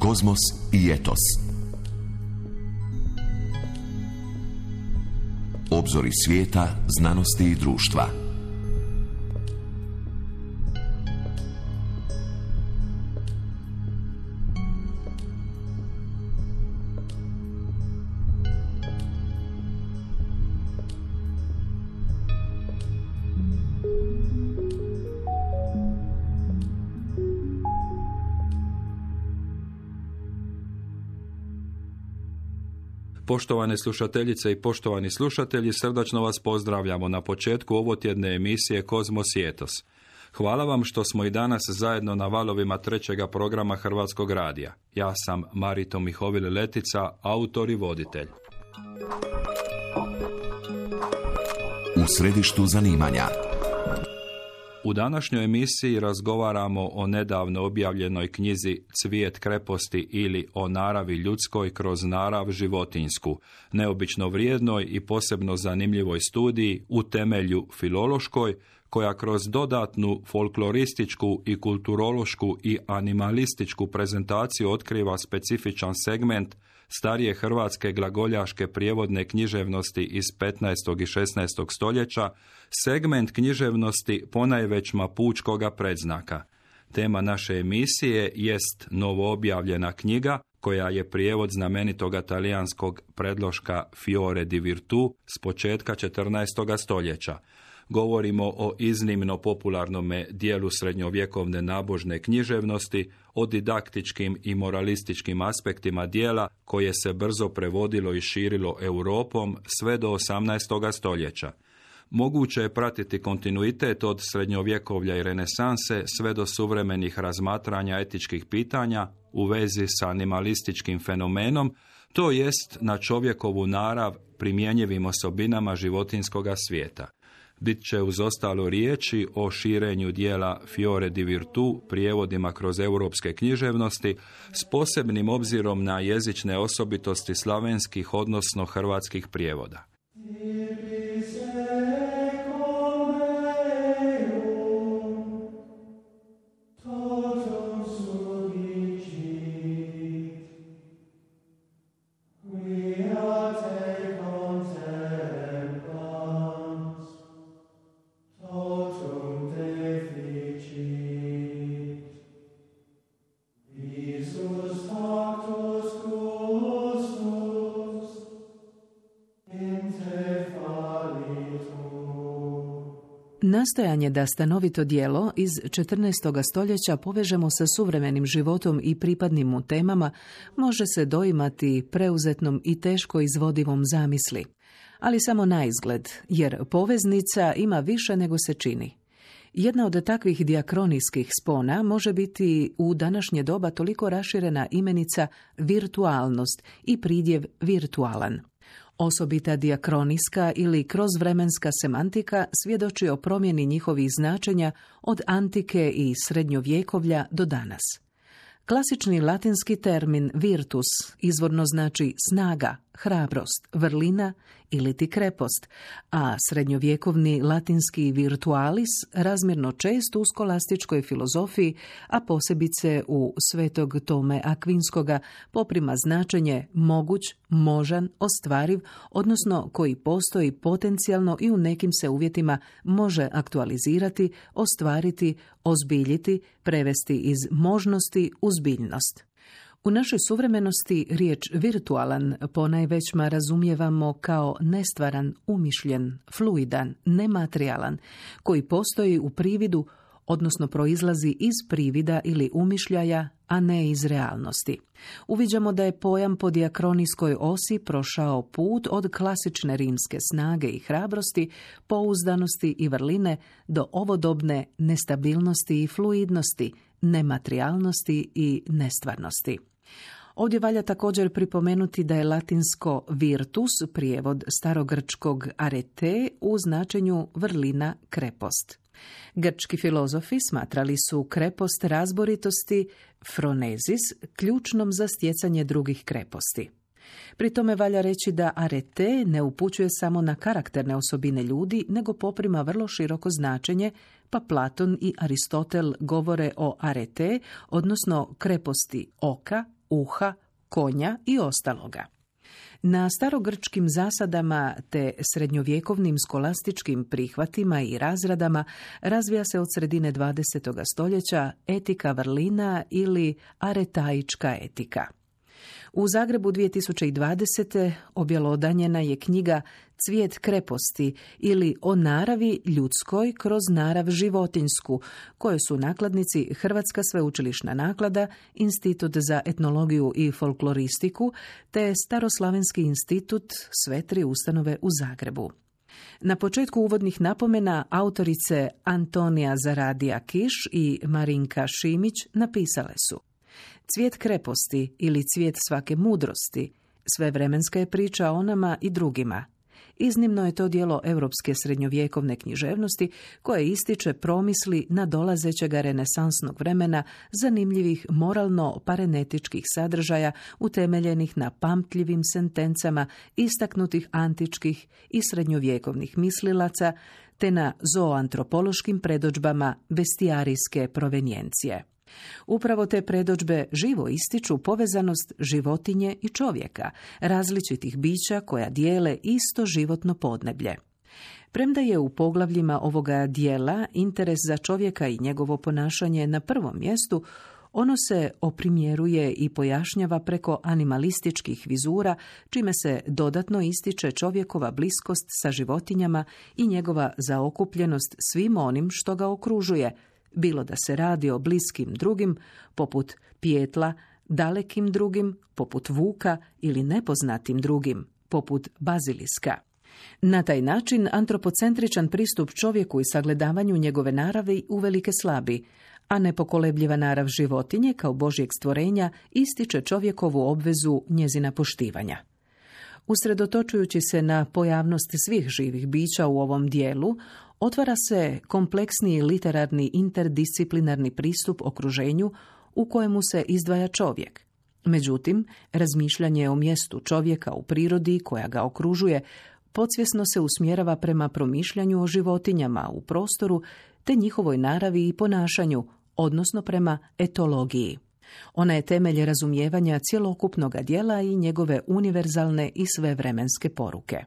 Kozmos i etos. Obzori svijeta, znanosti i društva. Poštovane slušateljice i poštovani slušatelji, srdačno vas pozdravljamo na početku ovotjedne emisije Kozmos i etos. Hvala vam što smo i danas zajedno na valovima trećega programa Hrvatskog radija. Ja sam Marito Mihovil Letica, autor i voditelj. U središtu zanimanja. U današnjoj emisiji razgovaramo o nedavno objavljenoj knjizi Cvijet kreposti ili o naravi ljudskoj kroz narav životinjsku, neobično vrijednoj i posebno zanimljivoj studiji u temelju filološkoj, koja kroz dodatnu folklorističku i kulturološku i animalističku prezentaciju otkriva specifičan segment starije hrvatske glagoljaške prijevodne književnosti iz 15. i 16. stoljeća, segment književnosti ponajveć mapučkoga predznaka. Tema naše emisije jest novoobjavljena knjiga, koja je prijevod znamenitoga talijanskog predloška Fiore di Virtù s početka 14. stoljeća. Govorimo o iznimno popularnom dijelu srednjovjekovne nabožne književnosti, o didaktičkim i moralističkim aspektima dijela koje se brzo prevodilo i širilo Europom sve do 18. stoljeća. Moguće je pratiti kontinuitet od srednjovjekovlja i renesanse sve do suvremenih razmatranja etičkih pitanja u vezi s animalističkim fenomenom, to jest na čovjekovu narav primjenjivim osobinama životinjskoga svijeta. Bit će uz ostalo riječi o širenju dijela Fiore di Virtù prijevodima kroz europske književnosti s posebnim obzirom na jezične osobitosti slavenskih odnosno hrvatskih prijevoda. Nastojanje da stanovito djelo iz 14. stoljeća povežemo sa suvremenim životom i pripadnim mu temama može se doimati preuzetnom i teško izvodivom zamisli. Ali samo naizgled, jer poveznica ima više nego se čini. Jedna od takvih diakronijskih spona može biti u današnje doba toliko raširena imenica virtualnost i pridjev virtualan. Osobita diakronijska ili krozvremenska semantika svjedoči o promjeni njihovih značenja od antike i srednjovjekovlja do danas. Klasični latinski termin virtus izvorno znači snaga, hrabrost, vrlina ili ti krepost, a srednjovjekovni latinski virtualis razmjerno čest u skolastičkoj filozofiji, a posebice u Svetog Tome Akvinskoga, poprima značenje moguć, možan, ostvariv, odnosno koji postoji potencijalno i u nekim se uvjetima može aktualizirati, ostvariti, ozbiljiti, prevesti iz možnosti u zbiljnost. U našoj suvremenosti riječ virtualan ponajvećma razumijevamo kao nestvaran, umišljen, fluidan, nematerijalan, koji postoji u prividu, odnosno proizlazi iz privida ili umišljaja, a ne iz realnosti. Uviđamo da je pojam po diakronijskoj osi prošao put od klasične rimske snage i hrabrosti, pouzdanosti i vrline do ovodobne nestabilnosti i fluidnosti, nematerijalnosti i nestvarnosti. Ovdje valja također pripomenuti da je latinsko virtus prijevod starogrčkog arete u značenju vrlina, krepost. Grčki filozofi smatrali su krepost razboritosti, phronezis, ključnom za stjecanje drugih kreposti. Pri tome valja reći da arete ne upućuje samo na karakterne osobine ljudi, nego poprima vrlo široko značenje, pa Platon i Aristotel govore o arete, odnosno kreposti oka, uha, konja i ostaloga. Na starogrčkim zasadama te srednjovjekovnim skolastičkim prihvatima i razradama razvija se od sredine 20. stoljeća etika vrlina ili aretaička etika. U Zagrebu 2020. objelodanjena je knjiga Cvijet kreposti ili o naravi ljudskoj kroz narav životinjsku, koje su nakladnici Hrvatska sveučilišna naklada, Institut za etnologiju i folkloristiku te Staroslavenski institut, sve tri ustanove u Zagrebu. Na početku uvodnih napomena autorice Antonija Zaradija Kiš i Marinka Šimić napisale su: Cvijet kreposti ili cvijet svake mudrosti, svevremenska je priča o nama i drugima. Iznimno je to djelo europske srednjovjekovne književnosti koje ističe promisli nadolazećega renesansnog vremena zanimljivih moralno-parenetičkih sadržaja utemeljenih na pamtljivim sentencama istaknutih antičkih i srednjovjekovnih mislilaca te na zooantropološkim predodžbama bestijarijske provenijencije. Upravo te predodžbe živo ističu povezanost životinje i čovjeka, različitih bića koja dijele isto životno podneblje. Premda je u poglavljima ovoga dijela interes za čovjeka i njegovo ponašanje na prvom mjestu, ono se oprimjeruje i pojašnjava preko animalističkih vizura, čime se dodatno ističe čovjekova bliskost sa životinjama i njegova zaokupljenost svim onim što ga okružuje, bilo da se radi o bliskim drugim, poput pijetla, dalekim drugim, poput vuka ili nepoznatim drugim, poput baziliska. Na taj način antropocentričan pristup čovjeku i sagledavanju njegove naravi uvelike slabi, a nepokolebljiva narav životinje kao Božjeg stvorenja ističe čovjekovu obvezu njezina poštivanja. Usredotočujući se na pojavnost svih živih bića u ovom dijelu, otvara se kompleksni literarni interdisciplinarni pristup okruženju u kojemu se izdvaja čovjek. Međutim, razmišljanje o mjestu čovjeka u prirodi koja ga okružuje podsvjesno se usmjerava prema promišljanju o životinjama u prostoru te njihovoj naravi i ponašanju, odnosno prema etologiji. Ona je temelj razumijevanja cjelokupnog djela i njegove univerzalne i svevremenske poruke.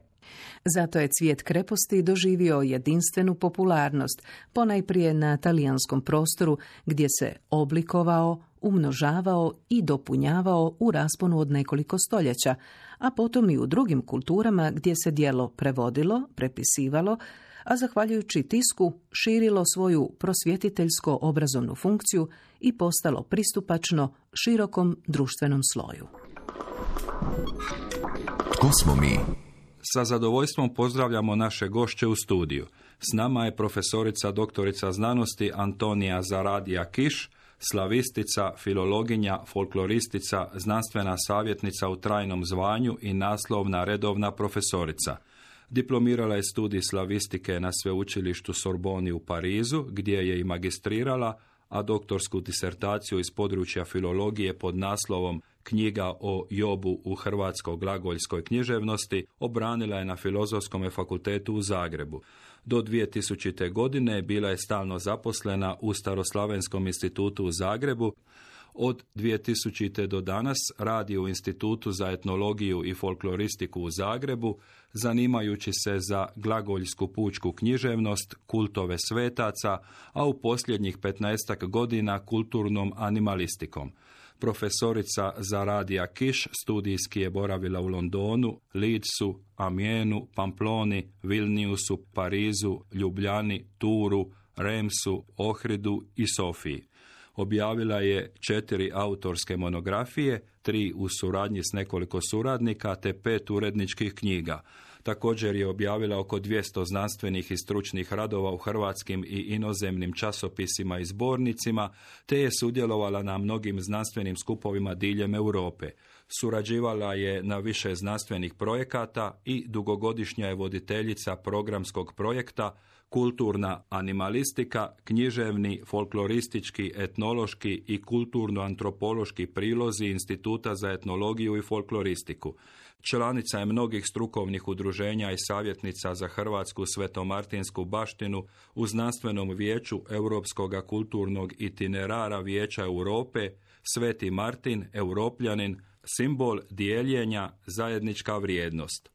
Zato je Cvijet kreposti doživio jedinstvenu popularnost, ponajprije na talijanskom prostoru, gdje se oblikovao, umnožavao i dopunjavao u rasponu od nekoliko stoljeća, a potom i u drugim kulturama gdje se djelo prevodilo, prepisivalo, a zahvaljujući tisku širilo svoju prosvjetiteljsko-obrazovnu funkciju i postalo pristupačno širokom društvenom sloju. Tko smo mi? Sa zadovoljstvom pozdravljamo naše gošće u studiju. S nama je profesorica doktorica znanosti Antonija Zaradija Kiš, slavistica, filologinja, folkloristica, znanstvena savjetnica u trajnom zvanju i naslovna redovna profesorica. Diplomirala je studij slavistike na sveučilištu Sorboni u Parizu, gdje je i magistrirala, a doktorsku disertaciju iz područja filologije pod naslovom Knjiga o Jobu u hrvatsko-glagoljskoj književnosti obranila je na Filozofskom fakultetu u Zagrebu. Do 2000. godine bila je stalno zaposlena u Staroslavenskom institutu u Zagrebu. Od 2000. do danas radi u Institutu za etnologiju i folkloristiku u Zagrebu, zanimajući se za glagoljsku pučku književnost, kultove svetaca, a u posljednjih 15 godina kulturnom animalistikom. Profesorica Zaradija Kiš studijski je boravila u Londonu, Leedsu, Amienu, Pamploni, Vilniusu, Parizu, Ljubljani, Turu, Remsu, Ohridu i Sofiji. Objavila je 4 autorske monografije, 3 u suradnji s nekoliko suradnika te 5 uredničkih knjiga. Također je objavila oko 200 znanstvenih i stručnih radova u hrvatskim i inozemnim časopisima i zbornicima, te je sudjelovala na mnogim znanstvenim skupovima diljem Europe. Surađivala je na više znanstvenih projekata i dugogodišnja je voditeljica programskog projekta Kulturna animalistika, književni, folkloristički, etnološki i kulturno-antropološki prilozi Instituta za etnologiju i folkloristiku. Članica je mnogih strukovnih udruženja i savjetnica za hrvatsku svetomartinsku baštinu u znanstvenom vijeću Europskog kulturnog itinerara Vijeća Europe, Sveti Martin, Europljanin, simbol dijeljenja, zajednička vrijednost.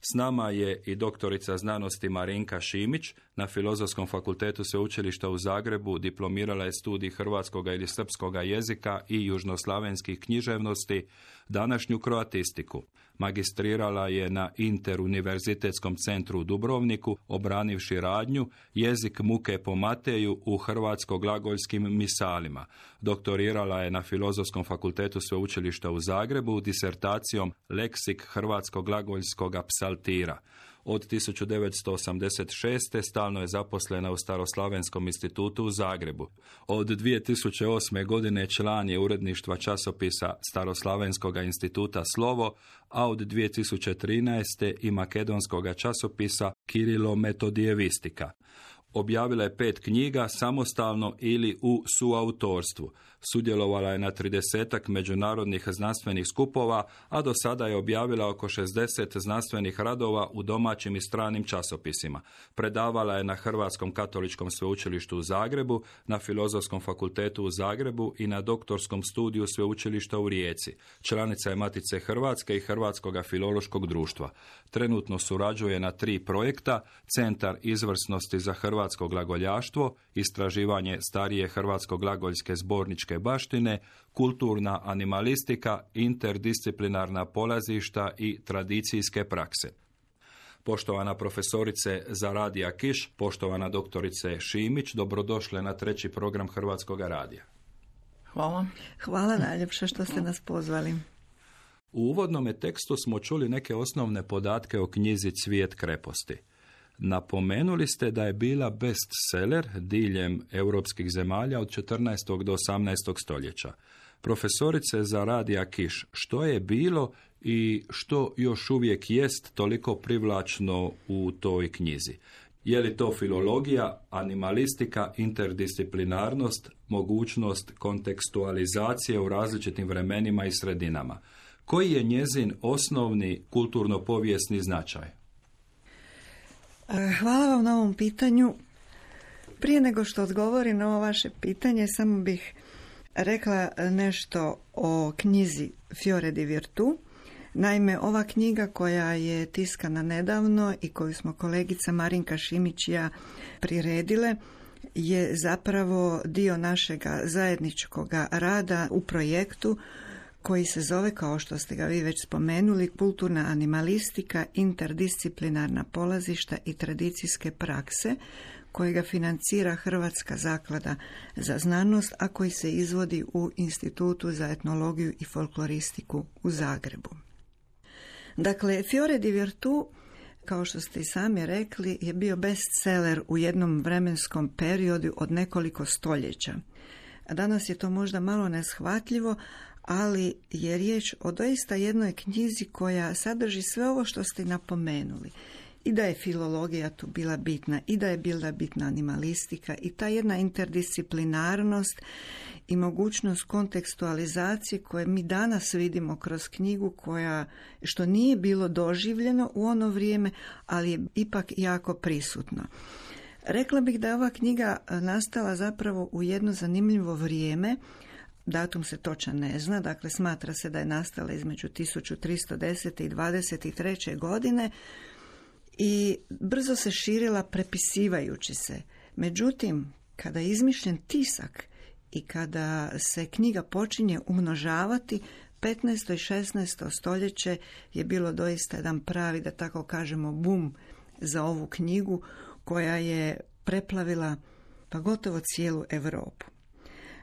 S nama je i doktorica znanosti Marinka Šimić, na Filozofskom fakultetu Sveučilišta u Zagrebu diplomirala je studij hrvatskoga ili srpskoga jezika i južnoslavenskih književnosti, današnju kroatistiku. Magistrirala je na Interuniverzitetskom centru u Dubrovniku, obranivši radnju Jezik muke po Mateju u hrvatsko-glagoljskim misalima. Doktorirala je na Filozofskom fakultetu Sveučilišta u Zagrebu disertacijom Leksik hrvatsko-glagoljskog psaltira. Od 1986. stalno je zaposlena u Staroslavenskom institutu u Zagrebu. Od 2008. godine član je uredništva časopisa Staroslavenskog instituta Slovo, a od 2013. i makedonskog časopisa Kirilo-metodijevistika. Objavila je 5 knjiga samostalno ili u suautorstvu. Sudjelovala je na 30-ak međunarodnih znanstvenih skupova, a do sada je objavila oko 60 znanstvenih radova u domaćim i stranim časopisima. Predavala je na Hrvatskom katoličkom sveučilištu u Zagrebu, na Filozofskom fakultetu u Zagrebu i na doktorskom studiju sveučilišta u Rijeci. Članica je Matice Hrvatske i Hrvatskog filološkog društva. Trenutno surađuje na 3 projekta: Centar izvrsnosti za hrvatsko glagoljaštvo, istraživanje starije hrvatsko-glagoljske zborničke baštine, kulturna animalistika, interdisciplinarna polazišta i tradicijske prakse. Poštovana profesorice Zaradija Kiš, poštovana doktorice Šimić, dobrodošle na 3. program Hrvatskog radija. Hvala. Hvala najljepše što ste nas pozvali. U uvodnom tekstu smo čuli neke osnovne podatke o knjizi Cvijet kreposti. Napomenuli ste da je bila bestseller diljem europskih zemalja od 14. do 18. stoljeća. Profesorice Zaradija Kiš, što je bilo i što još uvijek jest toliko privlačno u toj knjizi? Je li to filologija, animalistika, interdisciplinarnost, mogućnost kontekstualizacije u različitim vremenima i sredinama? Koji je njezin osnovni kulturno-povijesni značaj? Hvala vam na ovom pitanju. Prije nego što odgovorim na ovo vaše pitanje, samo bih rekla nešto o knjizi Fiore di Virtu. Naime, ova knjiga koja je tiskana nedavno i koju smo kolegica Marinka Šimić i ja priredile je zapravo dio našega zajedničkog rada u projektu koji se zove, kao što ste ga vi već spomenuli, Kulturna animalistika, interdisciplinarna polazišta i tradicijske prakse, kojega financira Hrvatska zaklada za znanost, a koji se izvodi u Institutu za etnologiju i folkloristiku u Zagrebu. Dakle, Fiore di Virtu, kao što ste i sami rekli, je bio bestseller u jednom vremenskom periodu od nekoliko stoljeća. Danas je to možda malo neshvatljivo, ali je riječ o doista jednoj knjizi koja sadrži sve ovo što ste napomenuli. I da je filologija tu bila bitna, i da je bila bitna animalistika, i ta jedna interdisciplinarnost i mogućnost kontekstualizacije koje mi danas vidimo kroz knjigu, što nije bilo doživljeno u ono vrijeme, ali je ipak jako prisutno. Rekla bih da je ova knjiga nastala zapravo u jedno zanimljivo vrijeme. Datum se točan ne zna, dakle smatra se da je nastala između 1310. i 23. godine i brzo se širila prepisivajući se. Međutim, kada je izmišljen tisak i kada se knjiga počinje umnožavati, 15. i 16. stoljeće je bilo doista jedan pravi, da tako kažemo, bum za ovu knjigu koja je preplavila pa gotovo cijelu Europu.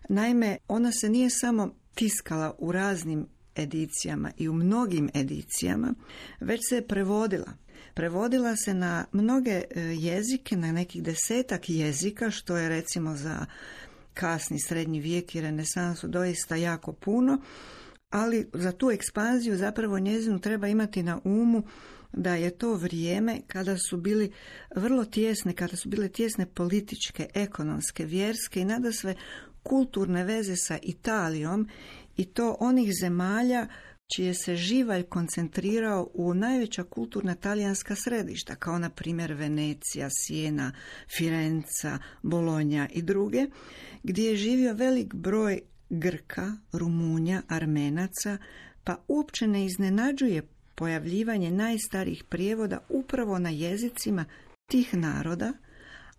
Naime, ona se nije samo tiskala u raznim edicijama i u mnogim edicijama, već se je prevodila. Prevodila se na mnoge jezike, na nekih 10 jezika, što je recimo za kasni srednji vijek i renesansu doista jako puno, ali za tu ekspanziju zapravo njezinu treba imati na umu da je to vrijeme kada su bili vrlo tjesne, kada su bile tjesne političke, ekonomske, vjerske i nadasve kulturne veze sa Italijom i to onih zemalja čije se živalj koncentrirao u najveća kulturna talijanska središta, kao na primjer Venecija, Sijena, Firenca, Bolonja i druge, gdje je živio velik broj Grka, Rumunja, Armenaca, pa uopće ne iznenađuje pojavljivanje najstarijih prijevoda upravo na jezicima tih naroda,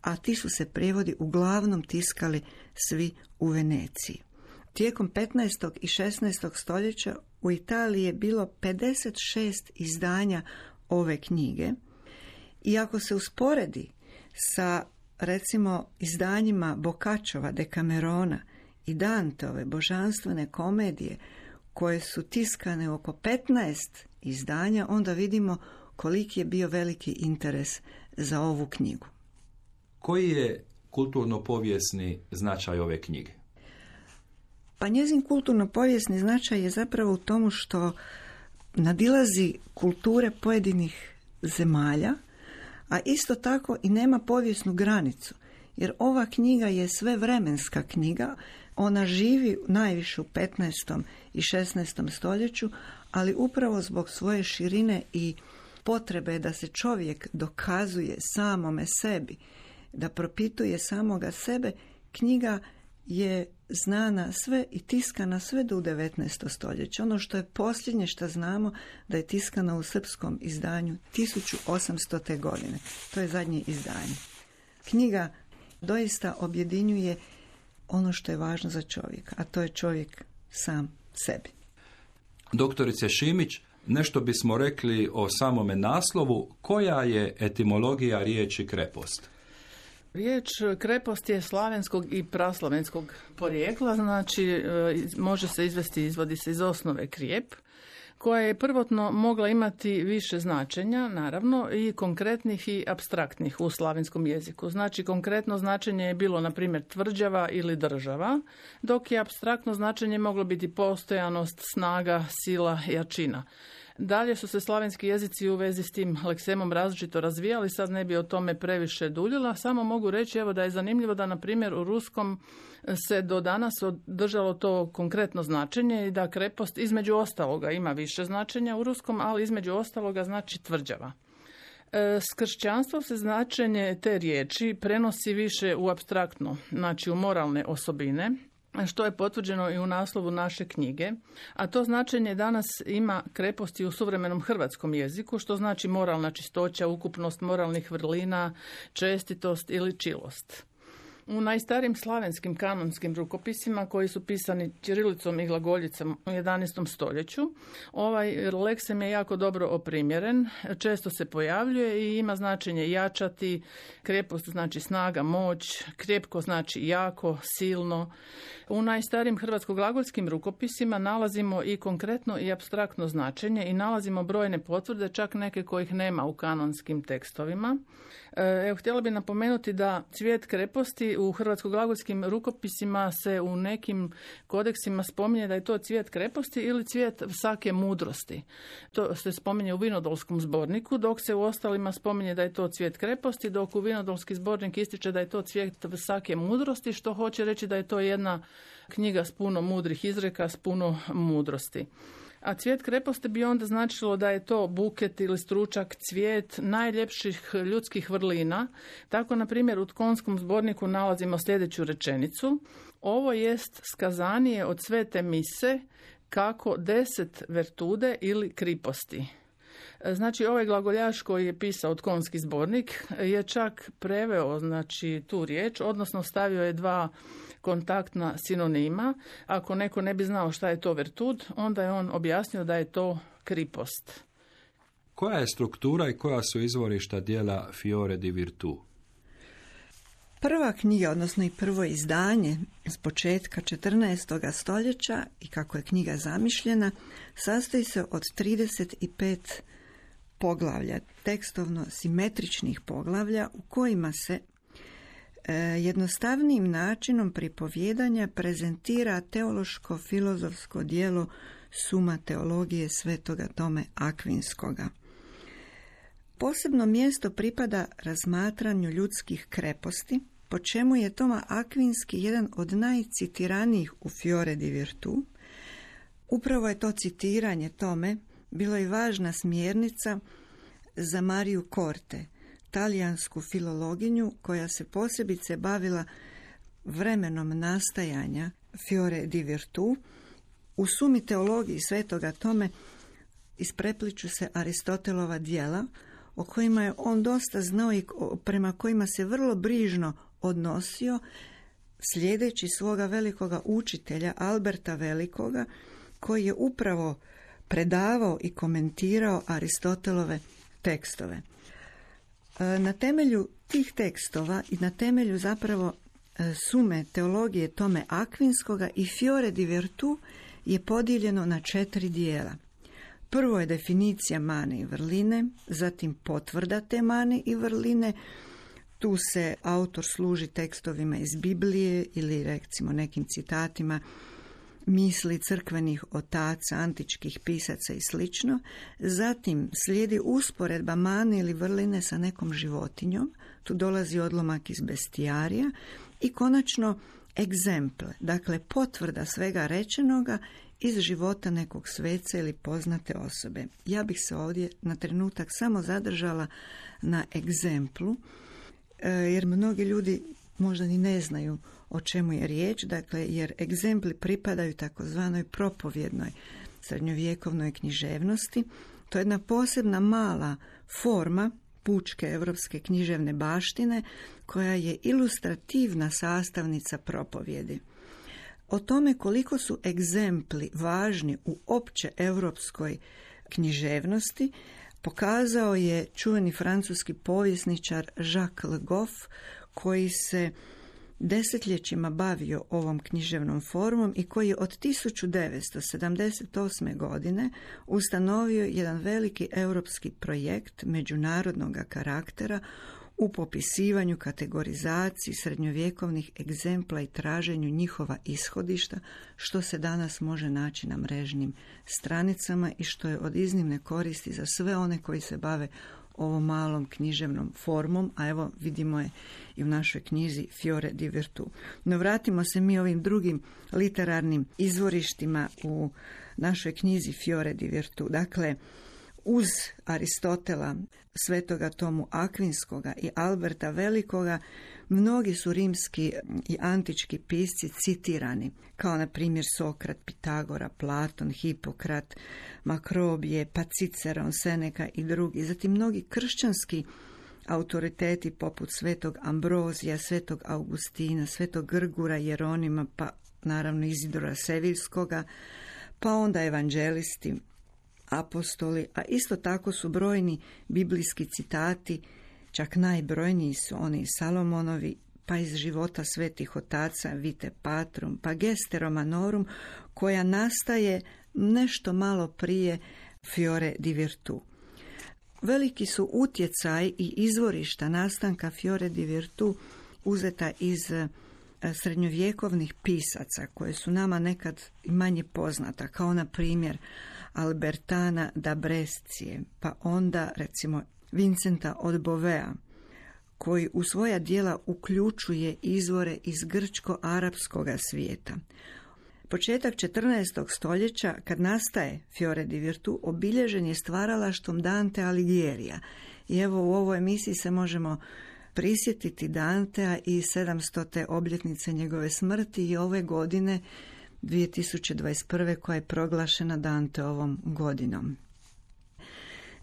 a ti su se prijevodi uglavnom tiskali svi u Veneciji. Tijekom 15. i 16. stoljeća u Italiji je bilo 56 izdanja ove knjige i ako se usporedi sa recimo izdanjima Boccaccioova Decamerona i Danteove božanstvene komedije koje su tiskane oko 15 izdanja, onda vidimo koliki je bio veliki interes za ovu knjigu. Koji je kulturno-povijesni značaj ove knjige? Pa njezin kulturno-povijesni značaj je zapravo u tomu što nadilazi kulture pojedinih zemalja, a isto tako i nema povijesnu granicu, jer ova knjiga je svevremenska knjiga, ona živi najviše u 15. i 16. stoljeću, ali upravo zbog svoje širine i potrebe da se čovjek dokazuje samome sebi, da propituje samoga sebe, knjiga je znana sve i tiskana sve do 19. stoljeća. Ono što je posljednje što znamo da je tiskana u srpskom izdanju 1800. godine. To je zadnje izdanje. Knjiga doista objedinjuje ono što je važno za čovjeka, a to je čovjek sam sebi. Doktorice Šimić, nešto bismo rekli o samome naslovu. Koja je etimologija riječi krepost? Riječ krepost je slavenskog i praslavenskog porijekla, znači može se izvodi se iz osnove krijep, koja je prvotno mogla imati više značenja, naravno, i konkretnih i apstraktnih u slavenskom jeziku. Znači, konkretno značenje je bilo, na primjer, tvrđava ili država, dok je apstraktno značenje moglo biti postojanost, snaga, sila, jačina. Dalje su se slavenski jezici u vezi s tim leksemom različito razvijali, sad ne bi o tome previše duljila, samo mogu reći evo da je zanimljivo da na primjer u ruskom se do danas održalo to konkretno značenje i da krepost između ostaloga ima više značenja u ruskom, ali između ostaloga znači tvrđava. S kršćanstvom se značenje te riječi prenosi više u apstraktno, znači u moralne osobine, što je potvrđeno i u naslovu naše knjige, a to značenje danas ima kreposti u suvremenom hrvatskom jeziku, što znači moralna čistoća, ukupnost moralnih vrlina, čestitost ili čilost. U najstarijim slavenskim kanonskim rukopisima koji su pisani ćirilicom i glagoljicom u 11. stoljeću, ovaj leksem je jako dobro oprimjeren, često se pojavljuje i ima značenje jačati, krepost znači snaga, moć, krepko znači jako, silno. U najstarijim hrvatsko-glagoljskim rukopisima nalazimo i konkretno i apstraktno značenje i nalazimo brojne potvrde, čak neke kojih nema u kanonskim tekstovima. Evo, htjela bih napomenuti da cvijet kreposti u hrvatsko-glagoljskim rukopisima se u nekim kodeksima spominje da je to cvijet kreposti ili cvijet vsake mudrosti. To se spominje u Vinodolskom zborniku, dok se u ostalima spominje da je to cvijet kreposti, dok u Vinodolski zbornik ističe da je to cvijet vsake mudrosti, što hoće reći da je to jedna knjiga s puno mudrih izreka, s puno mudrosti. A cvijet kreposti bi onda značilo da je to buket ili stručak, cvijet najljepših ljudskih vrlina. Tako, na primjer, u Tkonskom zborniku nalazimo sljedeću rečenicu. Ovo jest skazanije od svete mise kako 10 vertude ili kriposti. Znači, ovaj glagoljaš koji je pisao Tkonski zbornik je čak preveo znači, tu riječ, odnosno stavio je dva kontaktna sinonima. Ako neko ne bi znao šta je to vertud, onda je on objasnio da je to kripost. Koja je struktura i koja su izvorišta dijela Fiore di Virtù? Prva knjiga, odnosno i prvo izdanje s početka 14. stoljeća i kako je knjiga zamišljena, sastoji se od 35 poglavlja, tekstovno simetričnih poglavlja u kojima se jednostavnijim načinom pripovjedanja prezentira teološko-filozofsko djelo Suma teologije svetoga Tome Akvinskoga. Posebno mjesto pripada razmatranju ljudskih kreposti, po čemu je Toma Akvinski jedan od najcitiranijih u Fiore di Virtu. Upravo je to citiranje Tome bilo i važna smjernica za Mariju Korte, talijansku filologinju koja se posebice bavila vremenom nastajanja Fiore di Virtu. U Sumi teologiji svetoga Tome isprepliču se Aristotelova djela, o kojima je on dosta znao i prema kojima se vrlo brižno odnosio, slijedeći svoga velikoga učitelja Alberta Velikoga, koji je upravo predavao i komentirao Aristotelove tekstove. Na temelju tih tekstova i na temelju zapravo Sume teologije Tome Akvinskoga i Fiore di Virtu je podijeljeno na 4 dijela. Prvo je definicija mane i vrline, zatim potvrda te mane i vrline. Tu se autor služi tekstovima iz Biblije ili recimo nekim citatima misli crkvenih otaca, antičkih pisaca i sl. Zatim slijedi usporedba mane ili vrline sa nekom životinjom. Tu dolazi odlomak iz bestijarija i konačno egzemple, dakle potvrda svega rečenoga iz života nekog sveca ili poznate osobe. Ja bih se ovdje na trenutak samo zadržala na egzemplu, jer mnogi ljudi možda ni ne znaju o čemu je riječ, dakle, jer egzempli pripadaju takozvanoj propovjednoj srednjovjekovnoj književnosti. To je jedna posebna mala forma pučke europske književne baštine koja je ilustrativna sastavnica propovjedi. O tome koliko su egzempli važni u opće europskoj književnosti pokazao je čuveni francuski povjesničar Jacques Le Goff, koji se desetljećima bavio ovom književnom formom i koji je od 1978. godine ustanovio jedan veliki europski projekt međunarodnog karaktera u popisivanju, kategorizaciji srednjovjekovnih egzempla i traženju njihova ishodišta, što se danas može naći na mrežnim stranicama i što je od iznimne koristi za sve one koji se bave ovom malom književnom formom, a evo vidimo je i u našoj knjizi Fiore di Virtu. No vratimo se mi ovim drugim literarnim izvorištima u našoj knjizi Fiore di Virtu. Dakle, uz Aristotela, svetoga Tomu Akvinskoga i Alberta Velikoga, mnogi su rimski i antički pisci citirani, kao na primjer Sokrat, Pitagora, Platon, Hipokrat, Makrobije, pa Ciceron, Seneka i drugi. Zatim mnogi kršćanski autoriteti poput svetog Ambrozija, svetog Augustina, svetog Grgura, Jeronima, pa naravno Izidora Sevilskoga, pa onda evanđelisti, apostoli, a isto tako su brojni biblijski citati, čak najbrojniji su oni Salomonovi, pa iz života svetih otaca Vite Patrum, pa Geste Romanorum, koja nastaje nešto malo prije Fiore di Virtu. Veliki su utjecaj i izvorišta nastanka Fiore di Virtu uzeta iz srednjovjekovnih pisaca, koje su nama nekad manje poznata, kao na primjer Albertana da Brescije, pa onda recimo Vincenta od Bovea, koji u svoja djela uključuje izvore iz grčko-arapskoga svijeta. Početak 14. stoljeća, kad nastaje Fiore di Virtu, obilježen je stvaralaštvom Dante Alighiera. I evo u ovoj emisiji se možemo prisjetiti Dantea i 700. obljetnice njegove smrti i ove godine 2021. koja je proglašena Danteovom godinom.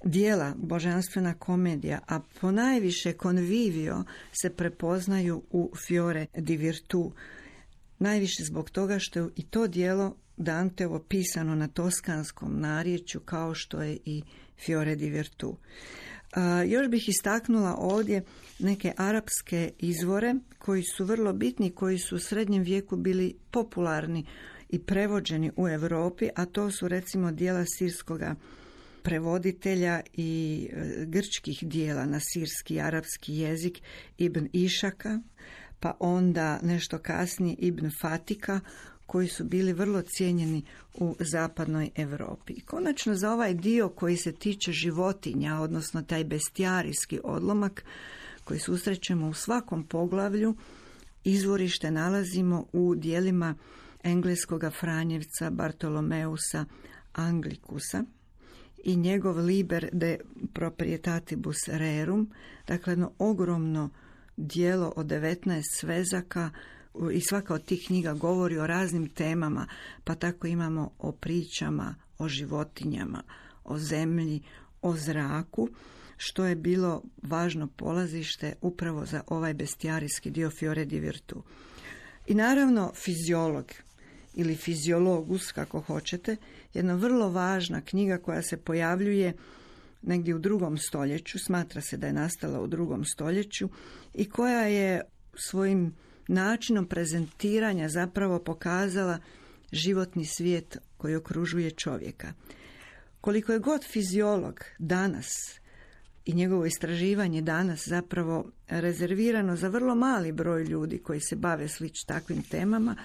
Dijela Božanstvena komedija, a ponajviše Convivio, se prepoznaju u Fiore di Virtu. Najviše zbog toga što je i to dijelo Danteovo pisano na toskanskom narječju, kao što je i Fiore di Virtu. Još bih istaknula ovdje neke arapske izvore koji su vrlo bitni, koji su u srednjem vijeku bili popularni i prevođeni u Europi, a to su recimo dijela sirskoga prevoditelja i grčkih dijela na sirski i arapski jezik Ibn Išaka, pa onda nešto kasnije Ibn Fatika, koji su bili vrlo cijenjeni u zapadnoj Europi. I konačno za ovaj dio koji se tiče životinja, odnosno taj bestijarijski odlomak koji susrećemo u svakom poglavlju, izvorište nalazimo u dijelima engleskoga Franjevca Bartolomeusa Anglikusa i njegov Liber de proprietatibus rerum, dakle jedno ogromno dijelo od 19 svezaka, i svaka od tih knjiga govori o raznim temama, pa tako imamo o pričama, o životinjama, o zemlji, o zraku, što je bilo važno polazište upravo za ovaj bestijarijski dio Fiore di Virtù. I naravno fiziolog ili fiziologus, kako hoćete, jedna vrlo važna knjiga koja se pojavljuje negdje u 2. stoljeću, smatra se da je nastala u 2. stoljeću i koja je svojim načinom prezentiranja zapravo pokazala životni svijet koji okružuje čovjeka. Koliko je god fiziolog danas i njegovo istraživanje danas zapravo rezervirano za vrlo mali broj ljudi koji se bave takvim temama,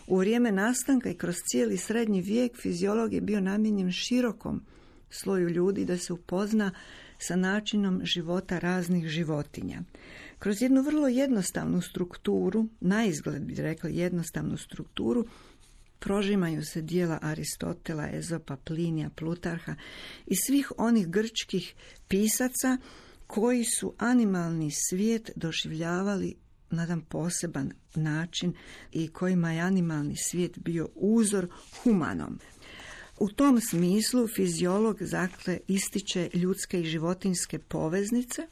u vrijeme nastanka i kroz cijeli srednji vijek fiziolog je bio namijenjen širokom sloju ljudi da se upozna sa načinom života raznih životinja. Kroz jednu vrlo jednostavnu strukturu, naizgled bi rekli jednostavnu strukturu, prožimaju se dijela Aristotela, Ezopa, Plinija, Plutarha i svih onih grčkih pisaca koji su animalni svijet doživljavali na jedan poseban način i kojima je animalni svijet bio uzor humanom. U tom smislu fiziolog dakle ističe ljudske i životinjske poveznice.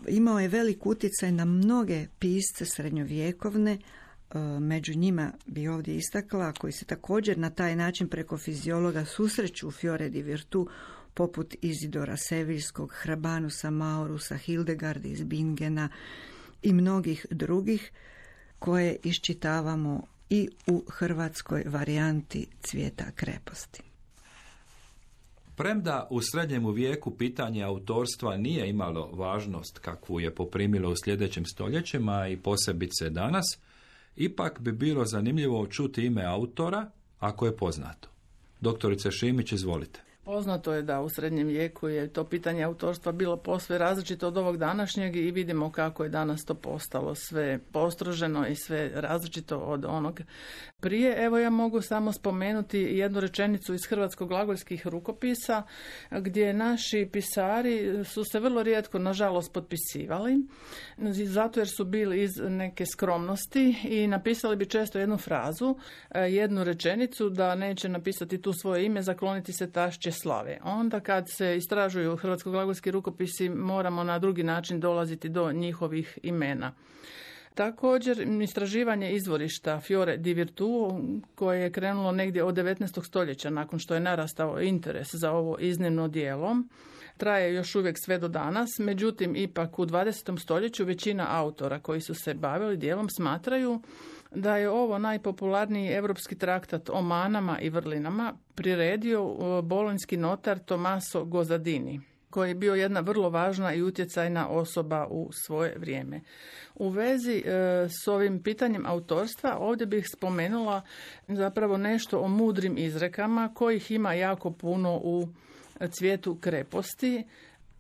Imao je velik utjecaj na mnoge pisce srednjovjekovne, među njima bi ovdje istakla, koji se također na taj način preko fiziologa susreću u Fiore di Virtù, poput Izidora Seviljskog, Hrabanusa Maurusa, Hildegarde iz Bingena i mnogih drugih koje iščitavamo i u hrvatskoj varijanti Cvijeta kreposti. Premda u srednjemu vijeku pitanje autorstva nije imalo važnost kakvu je poprimilo u sljedećim stoljećima i posebice danas, ipak bi bilo zanimljivo čuti ime autora ako je poznato. Doktorice Šimić, izvolite. Poznato je da u srednjem vijeku je to pitanje autorstva bilo posve različito od ovog današnjeg i vidimo kako je danas to postalo sve postroženo i sve različito od onog prije. Evo ja mogu samo spomenuti jednu rečenicu iz hrvatsko-glagoljskih rukopisa gdje naši pisari su se vrlo rijetko nažalost potpisivali zato jer su bili iz neke skromnosti i napisali bi često jednu frazu, jednu rečenicu da neće napisati tu svoje ime, zakloniti se tašće slave. Onda kad se istražuju hrvatsko-glagolski rukopisi moramo na drugi način dolaziti do njihovih imena. Također, istraživanje izvorišta Fiore di Virtù, koje je krenulo negdje od 19. stoljeća, nakon što je narastao interes za ovo iznimno djelo, traje još uvijek sve do danas, međutim, ipak u 20. stoljeću većina autora koji su se bavili djelom smatraju da je ovo najpopularniji europski traktat o manama i vrlinama priredio bolonjski notar Tommaso Gozzadini, koji je bio jedna vrlo važna i utjecajna osoba u svoje vrijeme. U vezi s ovim pitanjem autorstva ovdje bih spomenula zapravo nešto o mudrim izrekama kojih ima jako puno u Cvijetu kreposti.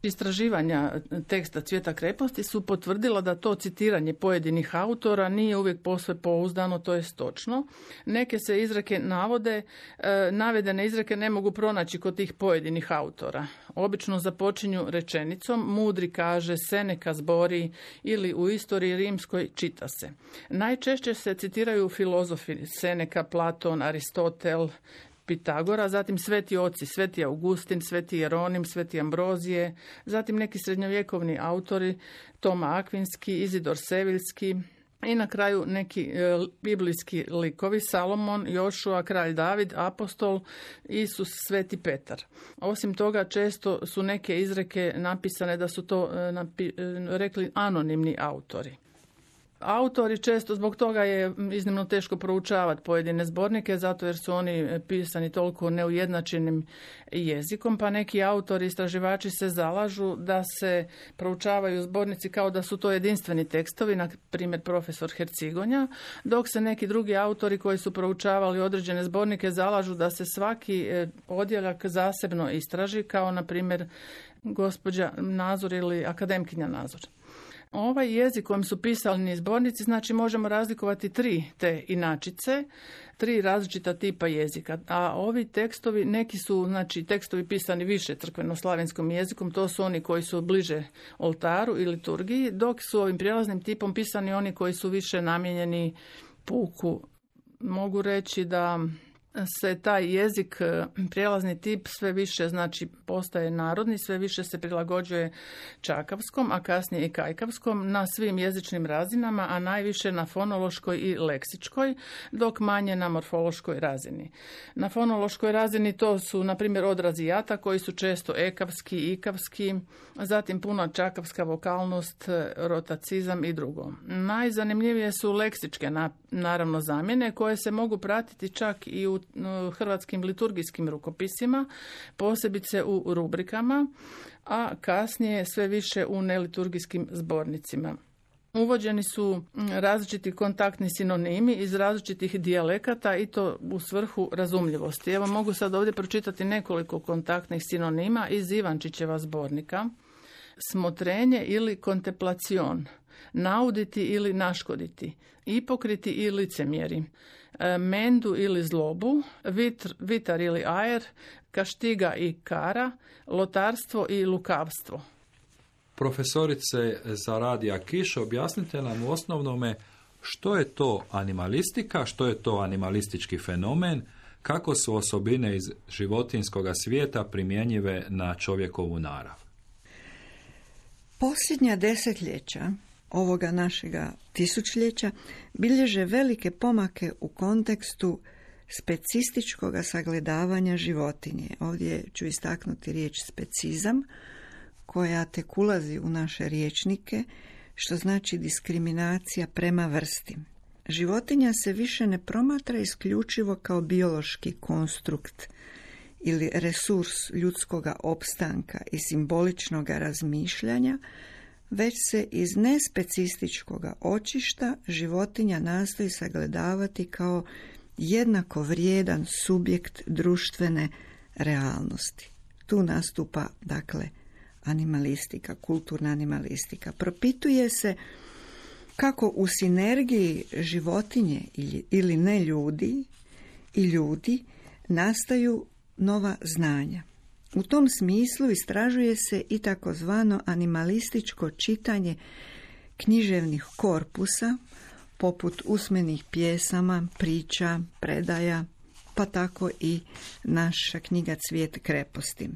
Istraživanja teksta Cvijeta kreposti su potvrdila da to citiranje pojedinih autora nije uvijek posve pouzdano, to je točno. Neke se izreke navode, navedene izreke ne mogu pronaći kod tih pojedinih autora. Obično započinju rečenicom mudri kaže, Seneca zbori ili u istoriji rimskoj čita se. Najčešće se citiraju filozofi Seneca, Platon, Aristotel, Pitagora, zatim sveti oci, sveti Augustin, sveti Jeronim, sveti Ambrozije, zatim neki srednjovjekovni autori, Toma Akvinski, Izidor Seviljski i na kraju neki biblijski likovi, Salomon, Jošua, kralj David, apostol, Isus, sveti Petar. Osim toga, često su neke izreke napisane da su to rekli anonimni autori. Autori često, zbog toga je iznimno teško proučavati pojedine zbornike, zato jer su oni pisani toliko neujednačenim jezikom, pa neki autori, istraživači se zalažu da se proučavaju zbornici kao da su to jedinstveni tekstovi, na primjer profesor Hercigonja, dok se neki drugi autori koji su proučavali određene zbornike zalažu da se svaki odjeljak zasebno istraži, kao na primjer gospođa Nazor ili akademkinja Nazor. Ovaj jezik kojim su pisani zbornici, znači možemo razlikovati 3 te inačice, 3 različita tipa jezika, a ovi tekstovi, neki su znači tekstovi pisani više crkveno-slavenskom jezikom, to su oni koji su bliže oltaru i liturgiji, dok su ovim prijelaznim tipom pisani oni koji su više namijenjeni puku. Mogu reći da se taj jezik, prijelazni tip, sve više znači postaje narodni, sve više se prilagođuje čakavskom, a kasnije i kajkavskom na svim jezičnim razinama, a najviše na fonološkoj i leksičkoj, dok manje na morfološkoj razini. Na fonološkoj razini to su, na primjer, odrazi jata koji su često ekavski, ikavski, zatim puno čakavska vokalnost, rotacizam i drugo. Najzanimljivije su leksičke, naravno, zamjene koje se mogu pratiti čak i u hrvatskim liturgijskim rukopisima, posebice u rubrikama, a kasnije sve više u neliturgijskim zbornicima. Uvođeni su različiti kontaktni sinonimi iz različitih dijalekata i to u svrhu razumljivosti. Evo mogu sad ovdje pročitati nekoliko kontaktnih sinonima iz Ivančićeva zbornika. Smotrenje ili kontemplacion, nauditi ili naškoditi, ipokriti i licemjeri, mendu ili zlobu, vitar ili ajer, kaštiga i kara, lotarstvo i lukavstvo. Profesorice Zaradija Kiš, objasnite nam u osnovnome što je to animalistika, što je to animalistički fenomen, kako su osobine iz životinjskog svijeta primjenjive na čovjekovu narav. Posljednja desetljeća ovoga našega tisućljeća bilježe velike pomake u kontekstu specističkog sagledavanja životinje. Ovdje ću istaknuti riječ specizam, koja tek ulazi u naše rječnike, što znači diskriminacija prema vrsti. Životinja se više ne promatra isključivo kao biološki konstrukt ili resurs ljudskoga opstanka i simboličnog razmišljanja, već se iz nespecističkoga očišta životinja nastoji sagledavati kao jednako vrijedan subjekt društvene realnosti. Tu nastupa, dakle, animalistika, kulturna animalistika. Propituje se kako u sinergiji životinje ili ne ljudi i ljudi nastaju nova znanja. U tom smislu istražuje se i takozvano animalističko čitanje književnih korpusa, poput usmenih pjesama, priča, predaja, pa tako i naša knjiga Cvijet kreposti.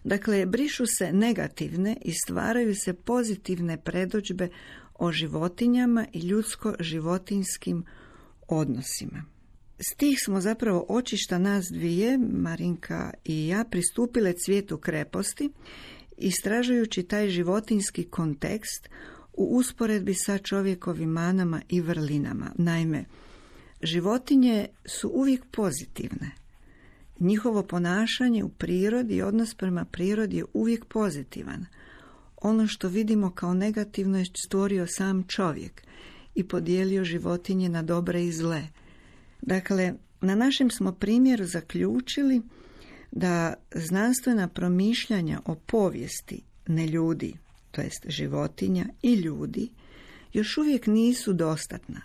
Dakle, brišu se negativne i stvaraju se pozitivne predodžbe o životinjama i ljudsko-životinjskim odnosima. S tih smo zapravo očišta nas dvije, Marinka i ja, pristupile Cvijetu kreposti, istražujući taj životinjski kontekst u usporedbi sa čovjekovim manama i vrlinama. Naime, životinje su uvijek pozitivne. Njihovo ponašanje u prirodi i odnos prema prirodi je uvijek pozitivan. Ono što vidimo kao negativno je stvorio sam čovjek i podijelio životinje na dobre i zle. Dakle, na našem smo primjeru zaključili da znanstvena promišljanja o povijesti neljudi, to jest životinja i ljudi, još uvijek nisu dostatna.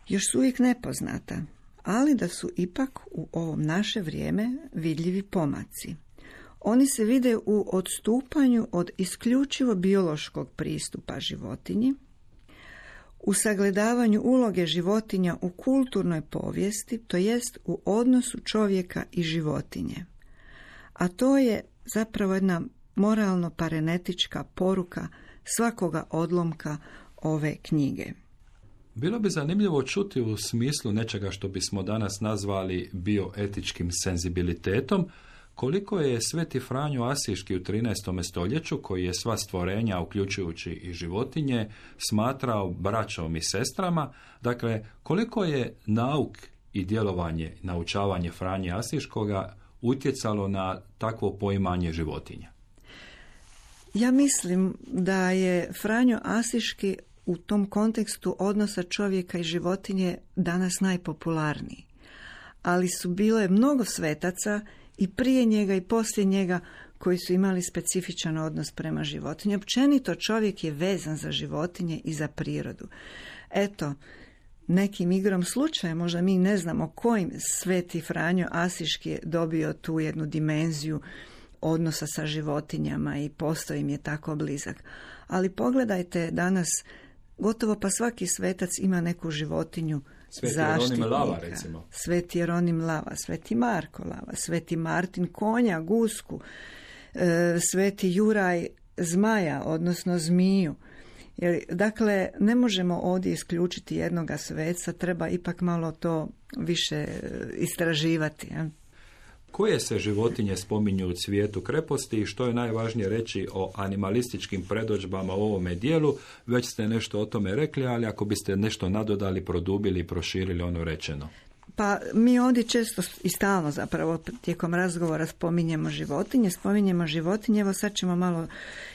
Još su uvijek nepoznata, ali da su ipak u ovom naše vrijeme vidljivi pomaci. Oni se vide u odstupanju od isključivo biološkog pristupa životinji, u sagledavanju uloge životinja u kulturnoj povijesti, to jest u odnosu čovjeka i životinje. A to je zapravo jedna moralno-parenetička poruka svakoga odlomka ove knjige. Bilo bi zanimljivo čuti u smislu nečega što bismo danas nazvali bioetičkim senzibilitetom, koliko je Sveti Franjo Asiški u 13. stoljeću, koji je sva stvorenja, uključujući i životinje, smatrao braćom i sestrama, dakle, koliko je nauk i djelovanje, naučavanje Franje Asiškoga utjecalo na takvo poimanje životinja? Ja mislim da je Franjo Asiški u tom kontekstu odnosa čovjeka i životinje danas najpopularniji. Ali su bile mnogo svetaca i prije njega i poslije njega koji su imali specifičan odnos prema životinji. Općenito čovjek je vezan za životinje i za prirodu. Eto, nekim igrom slučaja, možda mi ne znamo kojim, Sveti Franjo Asiški je dobio tu jednu dimenziju odnosa sa životinjama i postao im je tako blizak. Ali pogledajte danas, gotovo pa svaki svetac ima neku životinju zaštitnika. Jeronim Lava, recimo. Sveti Jeronim Lava, Sveti Marko Lava, Sveti Martin konja, gusku, Sveti Juraj zmaja, odnosno zmiju. Dakle, ne možemo ovdje isključiti jednoga sveca, treba ipak malo to više istraživati. Koje se životinje spominju u Cvijetu kreposti i što je najvažnije reći o animalističkim predodžbama u ovome dijelu? Već ste nešto o tome rekli, ali ako biste nešto nadodali, produbili i proširili ono rečeno. Pa mi ovdje često i stalno zapravo tijekom razgovora spominjemo životinje, evo sad ćemo malo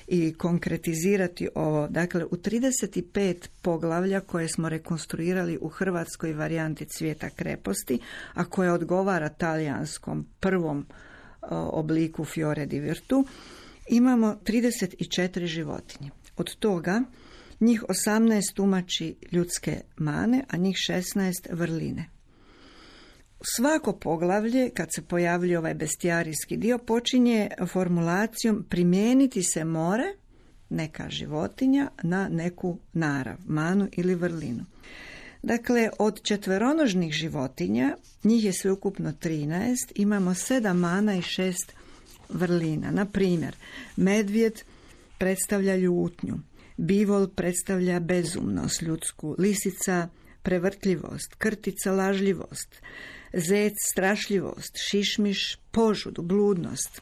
i konkretizirati ovo. Dakle, u 35 poglavlja koje smo rekonstruirali u hrvatskoj varijanti Cvijeta kreposti, a koja odgovara talijanskom prvom obliku Fiore di Virtu, imamo 34 životinje. Od toga njih 18 tumači ljudske mane, a njih 16 vrline. Svako poglavlje, kad se pojavlja ovaj bestijarijski dio, počinje formulacijom primijeniti se more, neka životinja, na neku narav, manu ili vrlinu. Dakle, od četveronožnih životinja, njih je sveukupno 13, imamo 7 mana i 6 vrlina. Na primjer, medvjed predstavlja ljutnju, bivol predstavlja bezumnost ljudsku, lisica prevrtljivost, krtica lažljivost, zec strašljivost, šišmiš požudu, bludnost.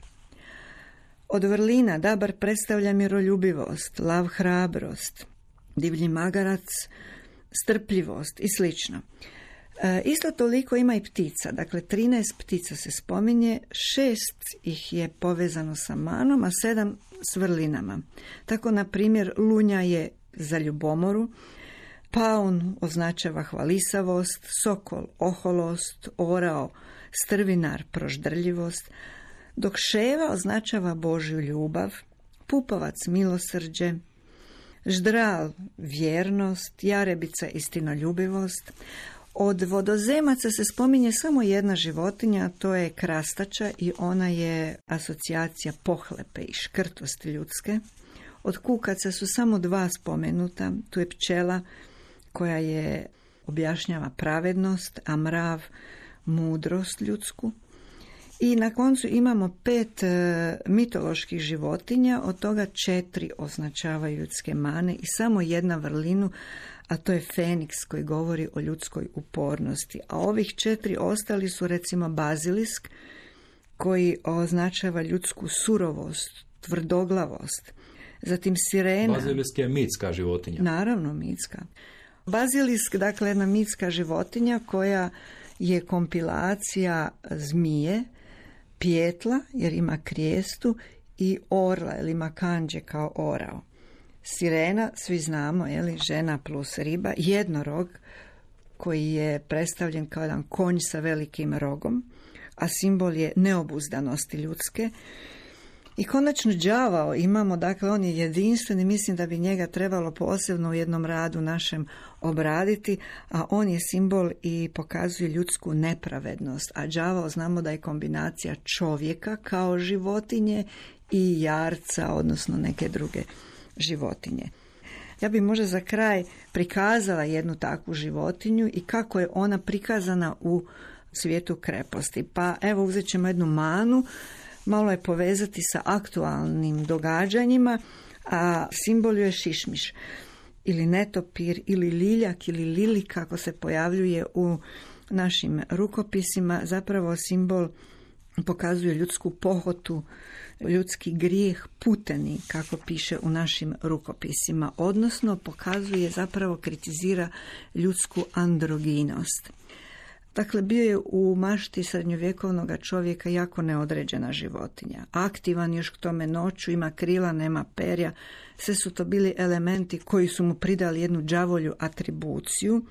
Od vrlina dabar predstavlja miroljubivost, lav hrabrost, divlji magarac strpljivost i slično. Isto toliko ima i ptica, dakle 13 ptica se spominje, 6 ih je povezano sa manom, a 7 s vrlinama. Tako, na primjer, lunja je za ljubomoru, paun označava hvalisavost, sokol oholost, orao strvinar proždrljivost, dok ševa označava Božju ljubav, pupovac milosrđe, ždral vjernost, jarebica istinoljubivost. Od vodozemaca se spominje samo jedna životinja, a to je krastača i ona je asocijacija pohlepe i škrtosti ljudske. Od kukaca su samo 2 spomenuta, tu je pčela koja je objašnjava pravednost, a mrav mudrost ljudsku. I na koncu imamo 5 mitoloških životinja, od toga 4 označavaju ljudske mane i samo 1 vrlinu, a to je Feniks koji govori o ljudskoj upornosti. A ovih 4 ostali su recimo bazilisk koji označava ljudsku surovost, tvrdoglavost. Zatim sirena. Bazilisk je mitska životinja. Naravno mitska. Bazilisk, dakle, jedna mitska životinja koja je kompilacija zmije, pjetla, jer ima krijestu, i orla, jer ima kanđe kao orao. Sirena, svi znamo, žena plus riba, jednorog koji je predstavljen kao jedan konj sa velikim rogom, a simbol je neobuzdanosti ljudske. I konačno đavao imamo, dakle on je jedinstven i mislim da bi njega trebalo posebno u jednom radu našem obraditi, a on je simbol i pokazuje ljudsku nepravednost. A đavao znamo da je kombinacija čovjeka kao životinje i jarca, odnosno neke druge životinje. Ja bih možda za kraj prikazala jednu takvu životinju i kako je ona prikazana u Cvijetu kreposti. Pa evo, uzet ćemo jednu manu, malo je povezati sa aktualnim događanjima, a simbol je šišmiš ili netopir ili liljak ili lili, kako se pojavljuje u našim rukopisima, zapravo simbol pokazuje ljudsku pohotu, ljudski grijeh puteni, kako piše u našim rukopisima, odnosno pokazuje, zapravo kritizira ljudsku androginost. Dakle, bio je u mašti srednjovjekovnog čovjeka jako neodređena životinja. Aktivan još k tome noću, ima krila, nema perja. Sve su to bili elementi koji su mu pridali jednu đavolju atribuciju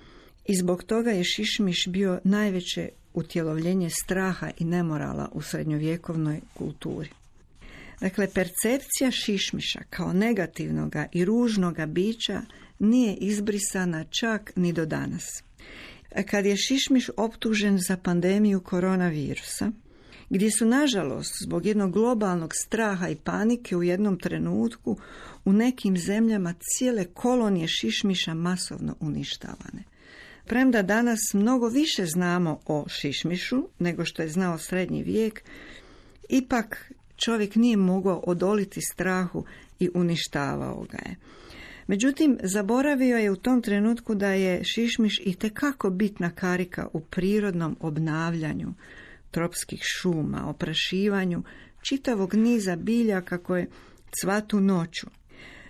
i zbog toga je šišmiš bio najveće utjelovljenje straha i nemorala u srednjovjekovnoj kulturi. Dakle, percepcija šišmiša kao negativnoga i ružnoga bića nije izbrisana čak ni do danas. Kad je šišmiš optužen za pandemiju koronavirusa, gdje su, nažalost, zbog jednog globalnog straha i panike u jednom trenutku u nekim zemljama cijele kolonije šišmiša masovno uništavane. Premda danas mnogo više znamo o šišmišu nego što je znao srednji vijek, ipak čovjek nije mogao odoliti strahu i uništavao ga je. Međutim, zaboravio je u tom trenutku da je šišmiš itekako bitna karika u prirodnom obnavljanju tropskih šuma, oprašivanju čitavog niza biljaka koje cvatu noću.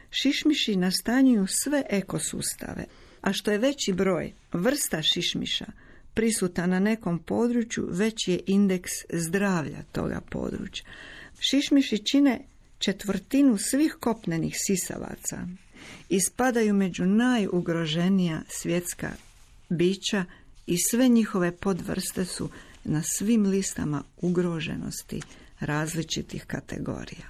Šišmiši nastanjuju sve ekosustave, a što je veći broj vrsta šišmiša prisutan na nekom području, veći je indeks zdravlja toga područja. Šišmiši čine 1/4 svih kopnenih sisavaca i spadaju među najugroženija svjetska bića i sve njihove podvrste su na svim listama ugroženosti različitih kategorija.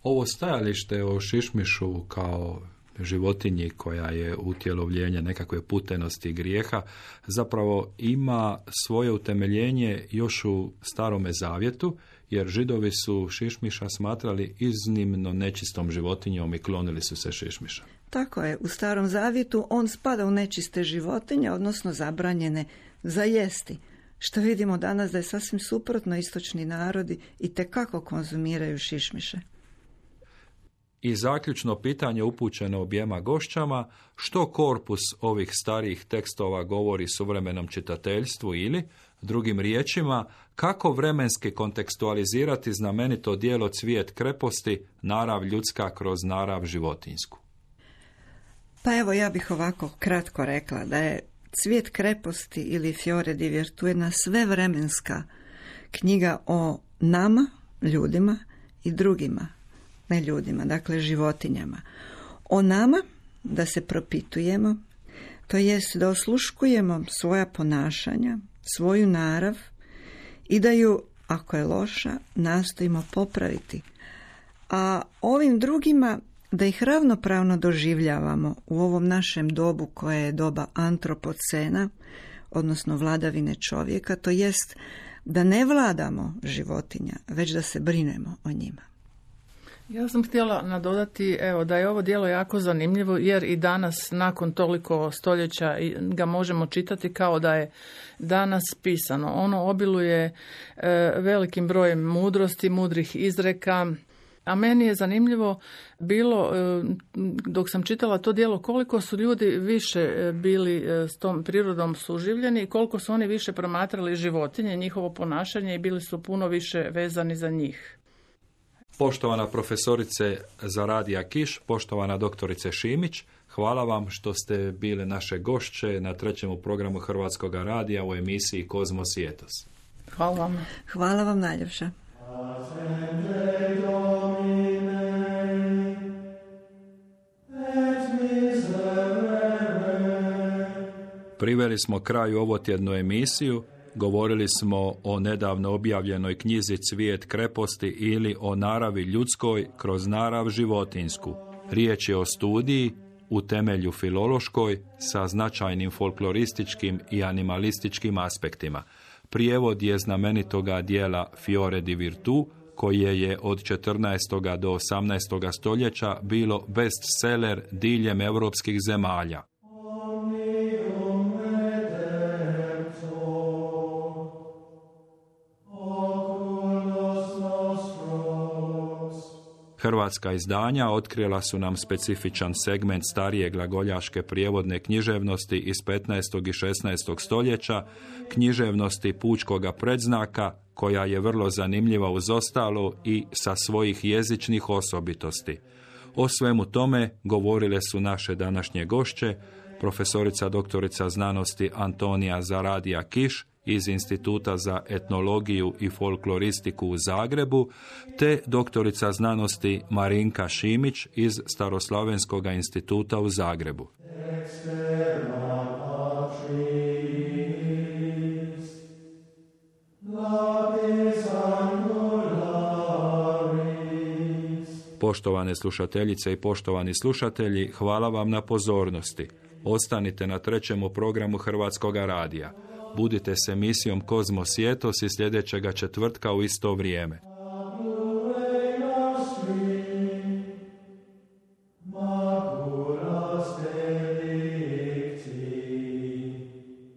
Ovo stajalište o šišmišu kao životinji koja je utjelovljenje nekakve putenosti i grijeha zapravo ima svoje utemeljenje još u Starome zavjetu, jer Židovi su šišmiša smatrali iznimno nečistom životinjom i klonili su se šišmiša. Tako je, u Starom zavjetu on spada u nečiste životinje, odnosno zabranjene za jesti. Što vidimo danas da je sasvim suprotno, istočni narodi itekako konzumiraju šišmiše. I zaključno pitanje upućeno objema gošćama, što korpus ovih starijih tekstova govori suvremenom čitateljstvu ili, drugim riječima, kako vremenski kontekstualizirati znamenito djelo Cvijet kreposti, narav ljudska kroz narav životinjsku? Pa evo, ja bih ovako kratko rekla da je Cvijet kreposti ili Fiore di Virtù jedna svevremenska knjiga o nama, ljudima i drugima, ne ljudima, dakle životinjama. O nama, da se propitujemo, to jest da osluškujemo svoja ponašanja, svoju narav i da ju, ako je loša, nastojimo popraviti. A ovim drugima da ih ravnopravno doživljavamo u ovom našem dobu koje je doba antropocena, odnosno vladavine čovjeka, to jest da ne vladamo životinja, već da se brinemo o njima. Ja sam htjela nadodati da je ovo djelo jako zanimljivo jer i danas nakon toliko stoljeća ga možemo čitati kao da je danas pisano. Ono obiluje velikim brojem mudrosti, mudrih izreka, a meni je zanimljivo bilo dok sam čitala to djelo koliko su ljudi više bili s tom prirodom suživljeni i koliko su oni više promatrali životinje, njihovo ponašanje i bili su puno više vezani za njih. Poštovana profesorice Zaradija Kiš, poštovana doktorice Šimić, hvala vam što ste bile naše gošće na 3. programu Hrvatskog radija u emisiji Kozmos i Etos. Hvala vam. Hvala vam najljepša. Priveli smo kraju ovotjednu emisiju. Govorili smo o nedavno objavljenoj knjizi Cvijet kreposti ili o naravi ljudskoj kroz narav životinjsku. Riječ je o studiji u temelju filološkoj sa značajnim folklorističkim i animalističkim aspektima. Prijevod je znamenitoga dijela Fiore di Virtù, koje je od 14. do 18. stoljeća bilo bestseller diljem europskih zemalja. Hrvatska izdanja otkrila su nam specifičan segment starije glagoljaške prijevodne književnosti iz 15. i 16. stoljeća, književnosti pučkoga predznaka, koja je vrlo zanimljiva uz ostalo i sa svojih jezičnih osobitosti. O svemu tome govorile su naše današnje gošće, profesorica doktorica znanosti Antonija Zaradija Kiš iz Instituta za etnologiju i folkloristiku u Zagrebu, te doktorica znanosti Marinka Šimić iz Staroslavenskog instituta u Zagrebu. Poštovane slušateljice i poštovani slušatelji, hvala vam na pozornosti. Ostanite na 3. programu Hrvatskoga radija. Budite s emisijom Kozmos i Etos i sljedećega četvrtka u isto vrijeme.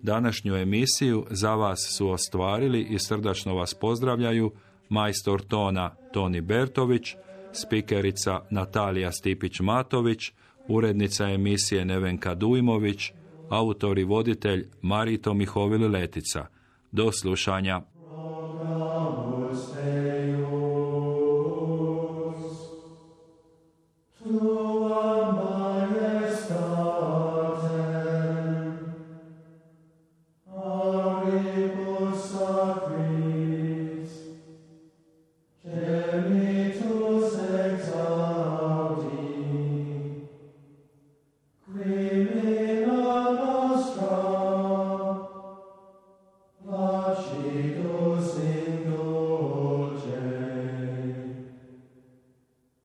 Današnju emisiju za vas su ostvarili i srdačno vas pozdravljaju majstor tona Toni Bertović, spikerica Natalija Stipić-Matović, urednica emisije Nevenka Dujmović, autor i voditelj Marito Mihovil Letica. Do slušanja.